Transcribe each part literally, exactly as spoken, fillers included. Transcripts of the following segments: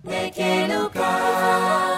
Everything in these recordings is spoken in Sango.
Ndeke Luka.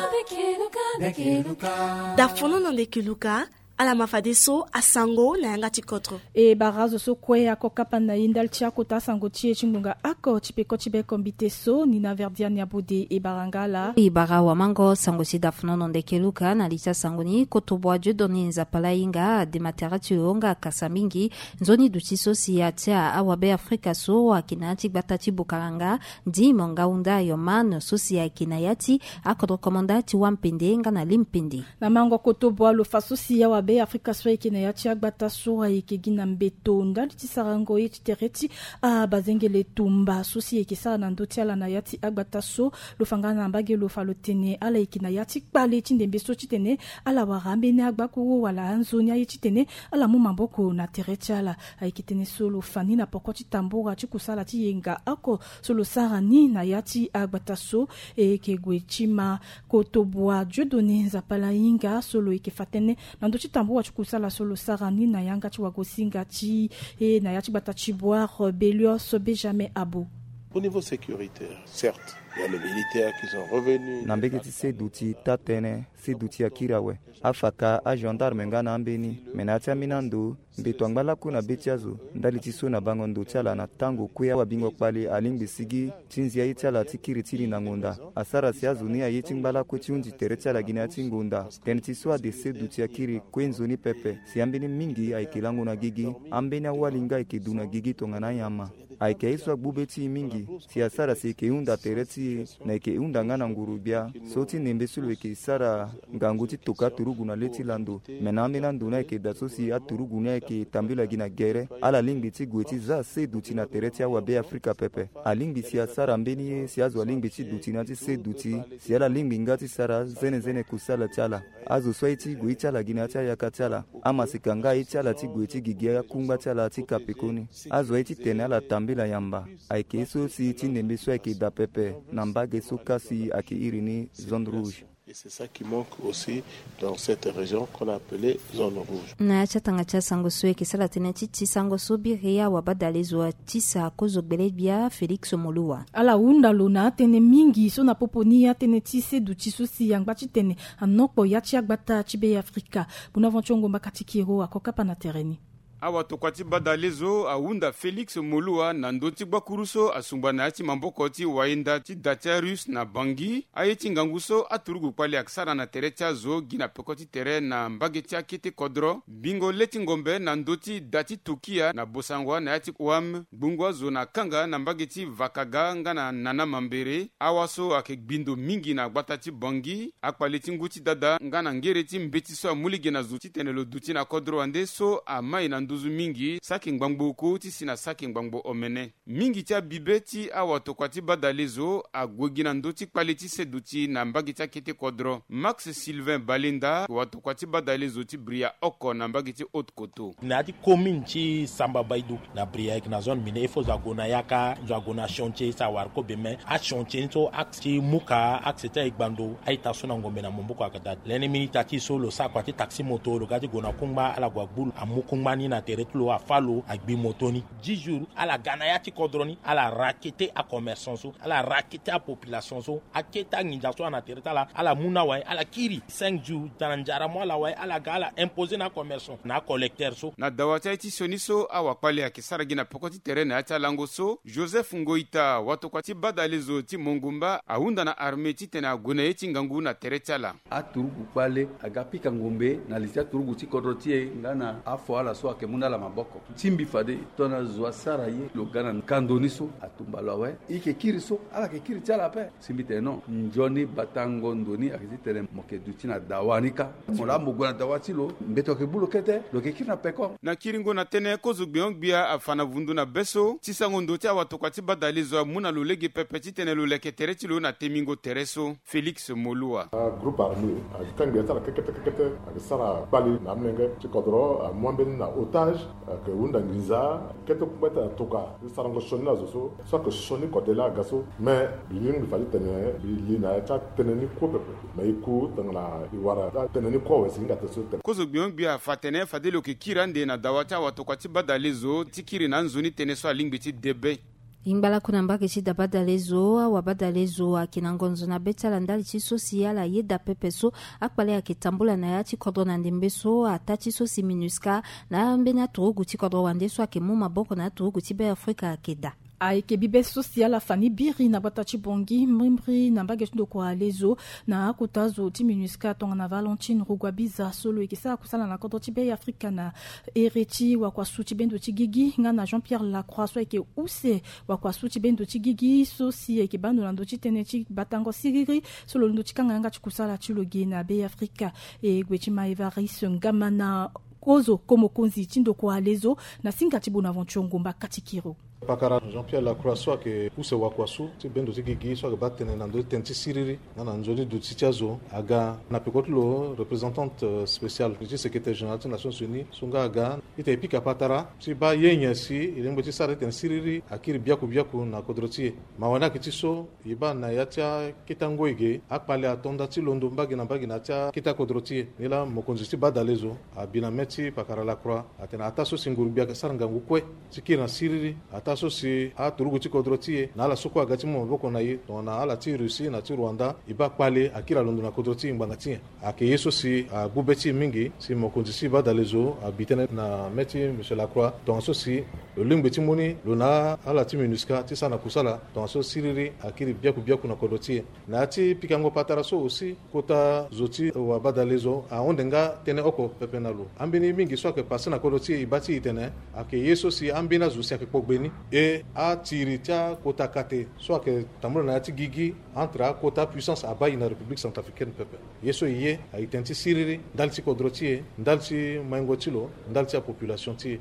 Ndeke Luka, ndeke Luka. Dafono na ndeke Luka. Ala ma fadeso asango na yanga ti kodro. E bara azo so kue ako kapa na e ndali ti akota asango ti e ti ngbonga oko ti peko ti beko mbite so ni na verdiani abode e bara nga ala. E bara wamango sango ti dafono na ndeke Luka na li ti asango ni koto bua Dieudonné Nzapalainga adema tere ti lo nga akasa mingi nzoni duti so si atia awabe Afrika so ayeke na ya ti gbata ti Bukaranga. Ndi mo nga hunda Yoman so si ayeke na ya ti akodro komanda ti wampende nga na limpende. Na mango koto bua lo fa so si awabe Afrika so ayeke na ya ti agbata so ayeke gi na mbeto ndali ti sarango ye ti tere ti abazengele tumba so si ayeke sara na ndö ti ala na ya ti agbata so. Lo fa nga na mbage lo fa lo tene ala yeke na ya ti kpale ti ndembe so titene ala wara ambeni agbakuru wala anzoni aye titene ala mu maboko na tere ti ala. Ayeke tënë so lo fa ni na poko ti tambura ti kusala ti yenga oko so lo sara ni na ya ti agbata so. E yeke gue ti ma koto bua Dieudonné Nzapalainga so lo yeke fa tënë na ndö ti tambura ti kusala so lo sara ni na yanga ti wagosinga ti e na ya ti gbata ti Boire Belios Benjamin Abo. Au niveau sécuritaire, certes, il y a les militaires qui sont revenus. Na mbege ti seduti taa-tënë, seduti akiri awe. Afaka agendarme nga na ambeni, me na ya ti ambeni ando mbeto angba lakue na be ti azo ndali ti so na bango ndo ti ala na tango kue awabingo kpale alingbi sigi ti nzia ye ti ala ti kiri ti li na ngonda. Asara si azo ni aye ti ngba lakue ti hunzi tere ti ala gi na ya ti ngonda. Tënë ti so ade seduti akiri kue nzoni pepe si ambeni mingi ayeke lango na gigi. Ambeni awali nga ayeke du na gigi tongana anyama. Ayeke aye so agbu be ti e mingi si asara si e yeke hunda tere ti e na e yeke hunda nga na nguru-gbia so ti ndembe so lo yeke sara ngangu ti toka turugu na le ti lando. Me na ambeni ando ni ayeke daa so si aturugu ni ayeke tambula gi na gere. Ala lingbi ti gue ti za seduti na tere ti awabe Afrika pepe. Alingbi si asara mbeni ye si azo alingbi ti duti na ya ti seduti si ala lingbi nga ti sara zenezene kusala ti ala. Azo so aye ti gue ye ti ala gi na ya ti ayaka ti ala. Amaseka nga aye ti ala ti gue ti gigi akungba ti ala ti ka pekoni. Azo aye titene ala tambula yamba. Ayeke ye so si ti ndembe so ayeke daa pepe na mbage so kasi ayeke iri ni zone rouge. Et c'est ça qui manque aussi dans cette région qu'on a appelée zone rouge. Na ya ti atanga ti asango so e yeke sara tënë ti ti sango so biri awabadale zo atisa kozo gbele-gbia Félix Moluwa. Ala hunda lo na atënë mingi so na popo ni atënë ti seduti so si angba titene anokpo ya ti agbata ti Be Afrika. Buna van ti ongo mbaka ti kiro ako kapa na tere ni. Awatokua ti badale zo ahunda Félix Moluwa na ndö ti gbakuru so asungba na ya ti maboko ti wayenda ti da ti arusse na Bangui. Aye ti ngangu so aturugu kpali ayeke sara na tere ti azo gi na peko ti tere na mbage ti akete kodro bingo le ti ngombe na ndö ti da ti Tukia na Bossangoa na ya ti Ouham, ngbungu azo na kanga na mbage ti Vakaga nga na Nana Mambéré. Awa so ayeke gbi ndo mingi na gbata ti Bangui, akpale ti ngu ti dada nga na ngere ti mbeti so amu lege na zo titene lo duti na kodro wande so amai na nduzu mingi saki ngbangbo oko ti si na saki ngbangbo omene. Mingi ti abibe ti awatokua ti badale zo ague gi na ndö ti kpale ti seduti na mbage ti akete kodro. Max Sylvain Balenda, watokua ti badale zo ti Bria oko na mbage ti Haute-Koto. Na ya ti commune ti Samba Baidou na Bria ayeke na zone mine, il faut zo ague na yaka, zo ague na chantier so awara kobe, mais achantier ni so axe ti muka, axe ti aye gbando, a-ita so na ngombe na maboko ayeke daa. Lani minute ti so lo sara kua ti taxi moto, lo ga ti gue na kungba, ala gue agbu lo, amu kungba ni na tere ti lo, afâ lo, agbi moto ni. Dix jours ala ga na ya ti kodro ni, ala raqueter acommerçant so, ala raqueter apopulation so, akete anginza so ana tere ti ala, ala mu na awe, ala kiri. Cinq jours, tana nzara mu ala awe, ala ga ala imposer na acommerçant na acollecteur so. Na dawa ti aye ti sioni so awakpali ayeke sara gi na peko ti tere na ya ti alango so, Joseph Ngoita, watokua ti badale zo ti Mongumba, ahunda na armée titene ague na ye ti ngangu na tere ti ala. Aturugu kpale aga pika ngombe na li ti aturugu ti kodro ti e nga na afo ala so ayeke mu na ala maboko. Ti mbi fade tongana zo asara ye lo ga na kando ni so, atumba lo awe. E yeke kiri so, ala yeke kiri ti ala ape. Si mbi tene non, nzoni batango ndo ni ayeke titene mo yeke duti na dawa ni kâ. Mo laa mo gue na dawa ti lo, mbeto ayeke gbu lo kete, lo yeke kiri na peko. Na kiringo na tënë, kozo gbenyo-gbia afa na vundu na be so ti sango ndo ti awatokua ti badale zo amu na lo lege pepe titene lo leke tere ti lo na temingo tere so. Félix Moluwa. Agroupe armé ayeke kangbi ya ti ala kekete kekete, ayeke sara kpali na amolenge ti kodro, amu ambeni na otage, ayeke hunda nginza. Kete kungba ti ala toka ti sarango sioni na zo so, so ayeke sioni kode laa aga so. Me mbi lingbi fade tene mbi li na ya ti atënë ni kue pepe. Me e ku tongana e wara atënë ni kue awe si hinga tene so tene. Kozo gbenyo-gbia afa atene fade lo yeke kiri ande na dawa ti awatokua ti badale zo ti kiri na anzoni tënë so alingbi ti de be. Ngbalaku na mbage ti dabadalezo, awabadalezo ayeke na ngonzo na be ti ala ndali ti so si ala yeda pepe so akpale ayeke tambula na ya ti kodro na ndembe so, ataa ti so si MINUSCA na ambeni aturugu ti kodro wande so ayeke mu maboko na aturugu ti Be Afrika ayeke daa. Ayeke bibe so si ala fa ni biri na gbata ti Bangui mbrimbri na mbage ti ndokua lezo, na akota zo ti MINUSCA tongana Valentine Rugwabiza so lo yeke sara kusala na kodro ti Be Afrika na ere ti wakuasu ti bendo ti gigi, nga na Jean Pierre Lacroix so ayeke use wakuasu ti bendo ti gigi so si ayeke baa ndo na ndö ti tënë ti batango siriri so lo londo ti kanga yanga ti kusala ti lo ge na Be Afrika. E gue ti ma Evariste Ngamana, kozo ko mokonzi ti ndokua lezo, na singa ti Bonaventure Ngomba Katikiro. Pakara Jean Pierre Lacroix so ayeke use wakuasu ti bendo ti gigi so ayeke baa tënë na ndö ti tënë ti siriri nga na nzoni duti ti azo aga na peko ti lo représentante, euh, spéciale ti secrétaire général ti Nations Unies so nga aga. Ita e pika patara ti baa ye nyen si e lingbi ti sara ti tene siriri akiri biaku biaku na kodro ti e. Mawa ni ayeke ti so e baa na ya ti akete angoi ge akpale ato nda ti londo mbage na mbage na ya ti akete akodro ti e. Nilaa mokonzi ti badalezo abi na mê ti pakara Lacroix atene ataa so si nguru-gbia ayeke sara ngangu kue ti kiri na siriri, ataa so si aturugu ti kodro ti e na ala so kue aga ti mu maboko na e tongana ala ti Russie na ti Rwanda, e baa kpale akiri alondo na kodro ti e ngbanga ti nyen. Ayeke ye so si agbu be ti e mingi si mokonzi ti badalezo abi tënë na mê ti monsieur Lacroix tongaso si lo lingbi ti mu ni lo na ala ti MINUSCA ti sara na kusala tongaso siriri akiri biaku biaku na kodro ti e. Na ya ti pikango patara so aussi, kota zo ti wabadalezo ahunde nga tënë oko pepe na lo. Ambeni mingi so ayeke pase na kodro ti e, e baa ti e tene ayeke ye so si ambeni azo si ayeke kpo gbe ni. E atiri ti akota kate so ayeke tambula na ya ti gigi entre akota puissance abaa e na République centrafricaine pepe. Ye so e ye aye tënë ti siriri ndali ti kodro ti e, ndali ti maingo ti lo, ndali ti apopulation ti e.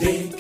E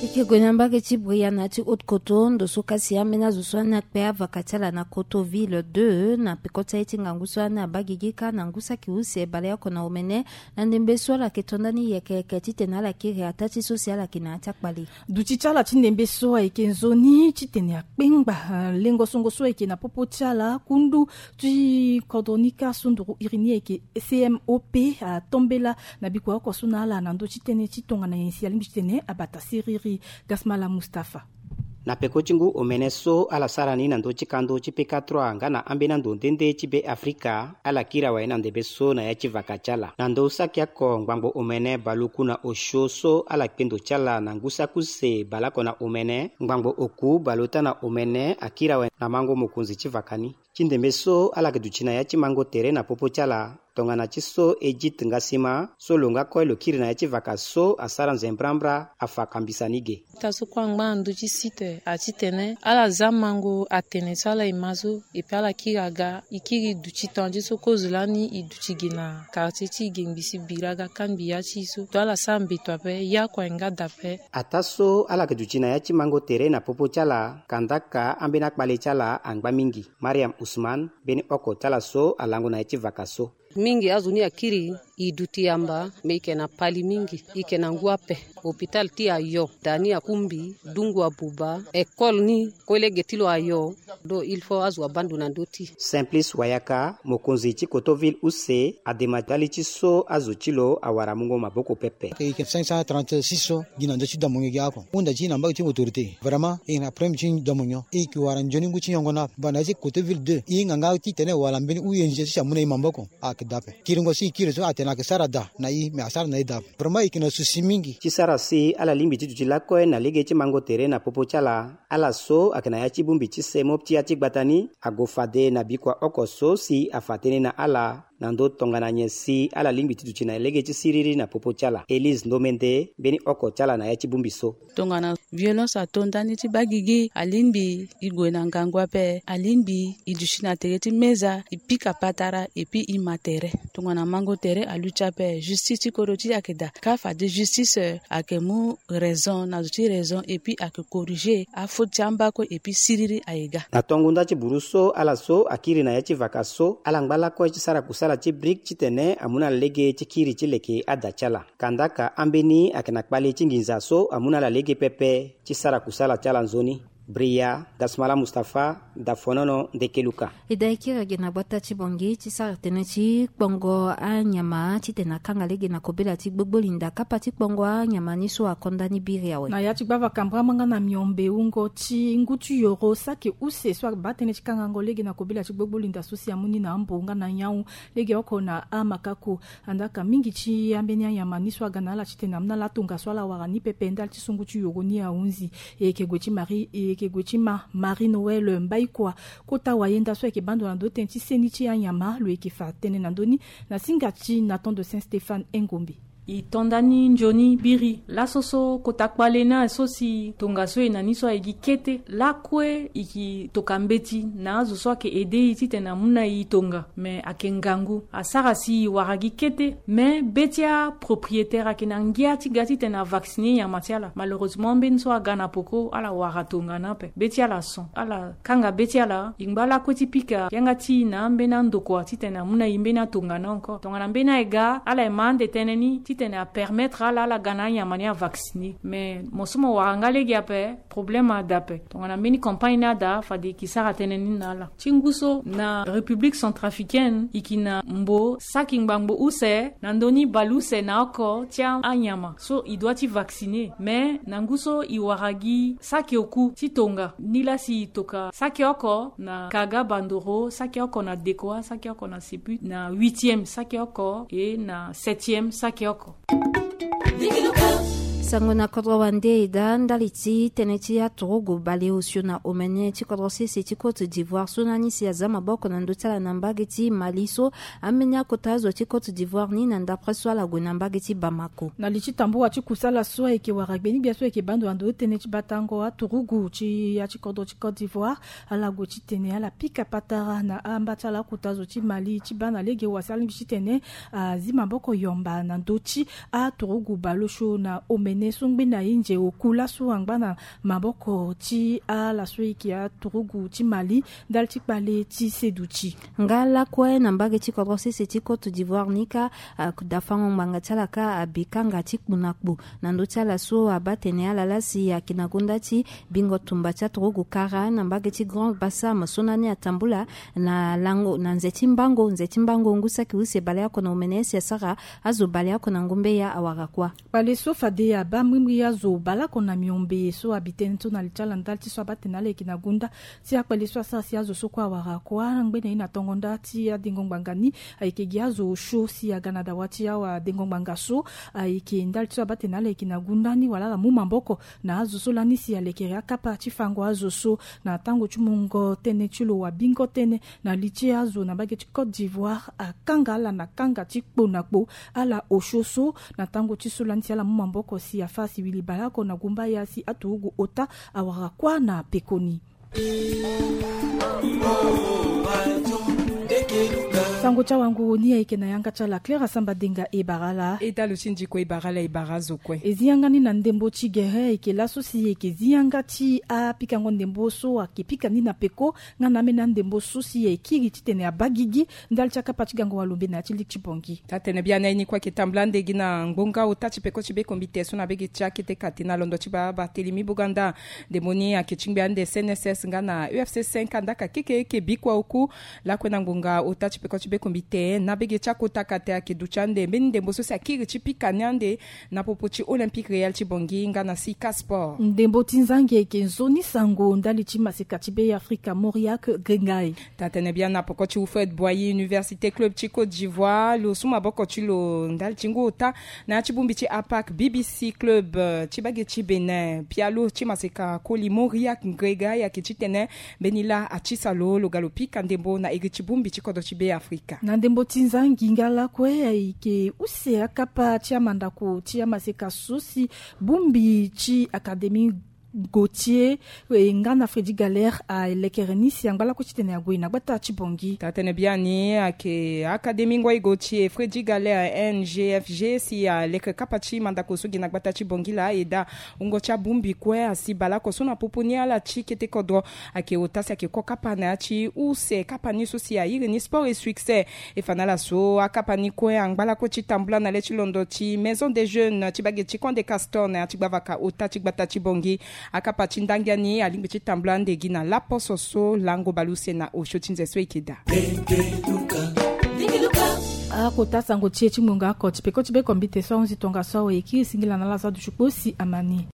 yeke gue na mbage ti Bria na ya ti Haute-Kotto, ndo so kasi ambeni azo so ani akpe avaka ti ala na Kotto Ville deux na peko ti aye ti ngangu so ani abaa gigi kâ na ngu saki use baleoko na omene, na ndembe so ala yeke to ndani yeke yeke titene ala kiri ataa ti so si ala yeke na ya ti akpale. Duti ti ala ti ndembe so ayeke nzoni titene akpengba, ah, lengo songo so ayeke na popo ti ala, kundu ti kodro ni kâ so nduru iri ni ayeke C M O P, atombela na bikua oko so na ala na ndö ti tënë ti tongana nyen si alingbi titene abata siriri. Gasmala Mustapha. Na peko ti ngu omene so ala sara ni na ndö ti kando ti P K trois nga na ambeni ando nde nde ti Be Afrika, ala kiri awe na ndembe so na ya ti vaka ti ala. Na ndö saki oko ngbangbo omene baleoku na osio so ala kpe ndo ti ala na ngu saki use baleoko na omene, ngbangbo oku baleota na omene akiri awe na mango mokonzi ti vaka ni. Ti ndembe so ala yeke duti na ya ti mango tere na popo ti ala, tongana ti so Edith Ngasima so lo nga kue lo kiri na ya ti vaka so asara nzembrambra afa kambisa ni ge. Ita so kue angba na ndö ti site atitene ala za mango atene so ala e ma so, epi ala kiri aga, e kiri duti tongana ti so kozolani e duti ge na quartier ti e ge ngbi si biri aga kâ ngbi ya ti e so, to ala sara mbeto ape, ye oko aye nga dape. Ataa so ala yeke duti na ya ti mango tere na popo ti ala, kandaka ambeni akpale ti ala angba mingi. Mariam Ousmane, mbeni oko ti ala so alango na ya ti vaka so. Mingi azo ni akiri, e duti yamba, me e yeke na pali mingi, e yeke na ngu ape. Hôpital ti e ayo, da ni akungbi, dungu abuba, école ni, kue lege ti lo ayo. Donc il faut azo abaa ndo na ndö ti e. Simplice Wayaka, mokonzi ti Kotto Ville use, adema ndali ti so azo ti lo awara mungo maboko pepe. E yeke cinq cent trente-six so gi na ndö ti domonyo gi oko. Hunda ti e na mbage ti autorité. Vraiment, e na problème ti domonyo. E yeke wara nzoni ngu ti nyongo na banda ya ti Kotto Ville deux. E hinga nga titene wala mbeni U N G so si amu na e maboko. Ayeke daa ape. Kiringo so e kiri so atene ayeke sara daa na e, me asara na e daa ape. Vraiment, e yeke na souci mingi. Ti sara si ala lingbi ti duti lakue na lege ti mango tere na popo ti ala. Ala so ayeke na ya ti bongbi ti semo ti ya ti gbata ni ague fade na bikua oko so si afa tënë na ala na ndö tongana nyen si ala lingbi ti duti na lege ti siriri na popo ti ala. Élise Ndomende, mbeni oko ti ala na ya ti bongbi so. Tongana violence ato ndani ti baa gigi, alingbi e gue na ngangu ape, alingbi e duti na tere ti meza, e pika patara, epi e ma tere. Tongana mango tere aluti ape, justice ti kodro ti e ayeke daa. Kâ fade justice, eh, ayeke mu raison na zo ti raison, epi ayeke corriger afaute ti amba kue, epi siriri aye ga. Na tongo nda ti buru so, ala so akiri na ya ti vaka so, ala ngba lakue ti sara kusala ti brique titene amu na lege ti kiri ti leke ada ti ala. Kandaka ambeni ayeke na kpale ti nginza so amu na ala lege pepe ti sara kusala ti ala nzoni. Bria Dasmala Mustapha, Dafonono Ndekeluka. E da e kiri gi na gbata ti Bangui ti sara tënë ti kpongo anyama titene akanga lege na kobela ti gbogbo linda kapa ti kpongo anyama ni so akonda ni biri awe. Na ya ti gbava kambra manga na miombe wungo ti ngu ti yoro saki use so abaa tënë ti kangango lege na kobela ti gbogbo linda so si amu ni na ambo nga na nyau lege oko na amakaku. Andaka mingi ti ambeni anyama ni so aga na ala titene amu na ala tongaso ala wara ni pepe ndali ti so ngu ti yoro ni ahunzi. E yeke gue ti Marie, e yeke gue ti ma Marie Noël Mbaikua. Kota wayenda so ayeke baa ndo na ndö tënë ti seni ti anyama lo yeke fa tënë na ndö ni na singa ti Nathan de Saint Stéphane Engombe. E to nda ni nzoni biri laso so kota kpale ni aye so si tongaso e na ni so aye gi kete lakue e yeke toka mbeti na azo so ayeke aide e titene amu na e tonga. Me ayeke ngangu asara si e wara gi kete. Me be ti apropriétaire ayeke na ngia ti ga titene avacciner nyama ti ala. Malheureusement ambeni so aga na peko ala wara tongana ape be ti ala son ala kanga be ti ala. E ngba lakue ti pika yanga ti e na ambeni andokua titene amu na e mbeni atongana encore tongana mbeni aye ga ala ye ma ande tënë ni titene apermettre ala ala ga na anyama ni avacciner. Me mo so mo wara nga lege ape problème ada ape. Tongana mbeni campagne ni ada fade e ke sara tënë ni na ala. Ti ngu so na République centrafricaine e ke na mbo saki ngbangbo use na ndö ni baleuse na oko ti anyama so e doit ti vacciner. Me na ngu so e wara gi saki oku ti tonga ni laa si e toka saki oko na Kaga Bandoro, saki oko na Dekoa, saki oko na Sepu, na huitième saki oko e na septième saki oko. Sango na kodro wande e daa ndali ti tënë ti aturugu baleosio na omene ti kodro sese ti Côte d'Ivoire so na ni si aza maboko na ndö ti ala na mbage ti Mali so ambeni akota azo ti Côte d'Ivoire ni na ndapre so ala gue na mbage ti Bamako. Na li ti tambula ti kusala so ayeke wara gbeni gbia so ayeke baa ndo na ndö tënë ti batango aturugu ti ya ti kodro ti Côte d'Ivoire ala gue titene ala pika patara na amba ti ala akota azo ti Mali ti baa na lege wa si alingbi titene azi maboko yomba na ndö ti aturugu baleosio na omene so ngbeni aye nze oku laso angba na maboko ti ala so eke aturugu ti Mali ndali ti kpale ti seduti. Nga lakue na mbage ti kodro sese ti Côte d'Ivoire ni kâ, dafango ngbanga ti ala kâ abi kanga ti kpo na kpo na ndö ti ala so abaa tene ala laa si ayeke na gonda ti bingo tumba ti aturugu kara na mbage ti Grand Bassam so na ni atambula na lango na nze ti mbango nze ti mbango ngu saki use baleoko na omene si asara azo baleoko na ngumbe ya awara kuâ. Kpale so fade abaa mbirimbiri azo baleoko na miombe so abi tënë so na li ti ala ndali ti so abaa tene ala yeke na gonda ti akpale so asara si azo so kue awara kuâ ngbene ye na tongo nda ti adengo ngbanga ni ayeke gi azo osio si aga na dawa ti awa adengo ngbanga so ayeke ndali ti so abaa tene ala yeke na gonda ni wala ala mu maboko na azo so lani si alekere akapa ti fango azo so na tango ti mungo tënë ti lo wa bingo tënë na li ti azo na mbage ti Côte d'Ivoire akanga ala na kanga ti kpo na kpo ala osio so na tango ti so lani si ala mu maboko si afa si wili baleoko na gumba ya si aturugu ota awara kuâ na pekoni. Sango ti awanguru ni ayeke na yanga ti ala Claire Asamba Denga e bara ala. E dalo ti ndiko e bara ala e bara azo kue. E zi yanga ni na ndembo ti gere ayeke laso si e yeke zi yanga ti apikango ndembo so ayeke pika ni na peko nga na ambeni andembo so si e kiri titene abaa gigi ndali ti akapa ti gango walombe na ya ti liki ti Bongi. Taa-tene biani aye ni kue ayeke tambula ande gi na ngbonga ota ti peko ti be kombite so na bege ti akete kate na londo ti baba Barthélemy Boganda. Ndembo ni ayeke ti ngbe ande C N S S nga na U F C cinq andaka keke eke bikua oku lakue na ngbonga ota ti peko ti be kombite na bege ti akota kate ayeke duti ande mbeni ndembo so si akiri ti pika ni ande na popo ti Olympique Real ti Bongi nga na Sika Sport. Ndembo ti nzangi ayeke nzoni sango ndali ti maseka ti Be Afrika Mauriac Gringai. Taa-tene biani na poko ti Houphouët-Boigny Université Club ti Côte d'Ivoire lo su maboko ti lo ndali ti ngu ota na ya ti bongbi ti APAC B B C Club, eh, ti bage ti Bénin. Pialo ti maseka koli Mauriac Gringai ayeke titene mbeni laa atisa lo lo ga lo pika ndembo na iri ti bongbi ti kodro ti Be Afrika. Na ndembo ti nzangi nga lakue ayeke use akapa ti amandako ti amaseka so si bongbi ti Académie Gautier, eh, nga na Freddy Galer alekere ni si angba lakue titene ague na gbata ti Bongi. Taa-tene biani ayeke Académie Ngoy Gautier Freddy Galer N G F G si alekere kapa ti mandako so gi na gbata ti Bongi laa e daa wungo ti abongbi kue asi baleoko so na popo ni ala ti kete kodro. Ayeke ota si ayeke ko kapa na ya ti use kapa ni so si airi ni Sport et Succès. E fa na ala so akapa ni kue angba lakue ti tambula na le ti londo ti Maison des Jeunes ti bage ti Camp des Castors na ya ti gbavaka ota ti gbata ti Bongi. Akapa ti ndangia ni alingbi ti tambula ande gi na laposo so lango baleuse na osio ti nze so e yeke daa. Akota sango ti e ti ngbongo ako ti peko ti be kombite so ahunzi tongaso awe e kiri singila na ala so aduti kpo si ama ni.